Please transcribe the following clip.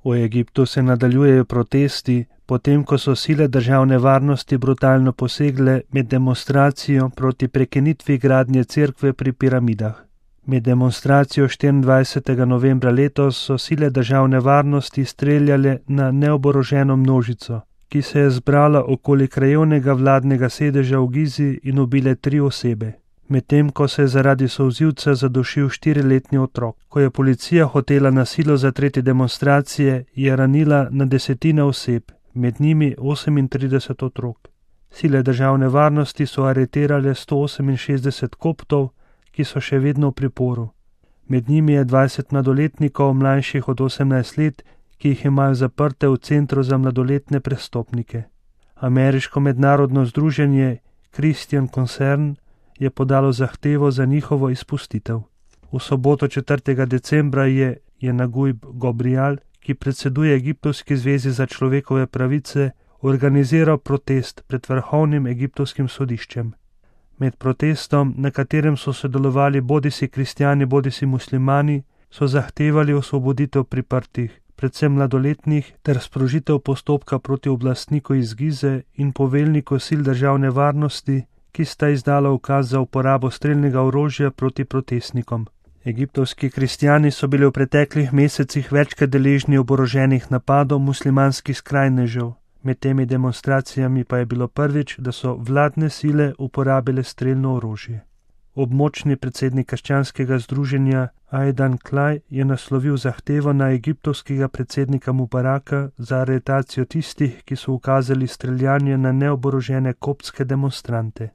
V Egiptu se nadaljujejo protesti, potem ko so sile državne varnosti brutalno posegle med demonstracijo proti prekinitvi gradnje cerkve pri piramidah. Med demonstracijo 24. novembra letos so sile državne varnosti streljale na neoboroženo množico, ki se je zbrala okoli krajevnega vladnega sedeža v Gizi in ubile 3 osebe. Medtem ko se je zaradi solzivca zadušil 4-letni otrok. Ko je policija hotela na silo zatreti demonstracije, je ranila na desetine oseb, med njimi 38 otrok. Sile državne varnosti so aretirale 168 koptov, ki so še vedno v priporu. Med njimi je 20 mladoletnikov mlajših od 18 let, ki jih imajo zaprte v centru za mladoletne prestopnike. Ameriško mednarodno združenje Christian Concern je podalo zahtevo za njihovo izpustitev. V soboto 4. decembra je Naguib Gobrial, ki predseduje Egiptovski zvezi za človekove pravice, organiziral protest pred vrhovnim egiptovskim sodiščem. Med protestom, na katerem so sodelovali bodisi kristjani, bodisi muslimani, so zahtevali osvoboditev priprtih, predvsem mladoletnih, ter sprožitev postopka proti oblastniku iz Gize in poveljniku sil državne varnosti, ki sta izdala ukaz za uporabo strelnega orožja proti protestnikom. Egiptovski kristjani so bili v preteklih mesecih večkrat deležni oboroženih napadov muslimanskih skrajnežev. Med temi demonstracijami pa je bilo prvič, da so vladne sile uporabile strelno orožje. Območni predsednik krščanskega združenja Aidan Klaj je naslovil zahtevo na egiptovskega predsednika Mubaraka za aretacijo tistih, ki so ukazali streljanje na neoborožene koptske demonstrante.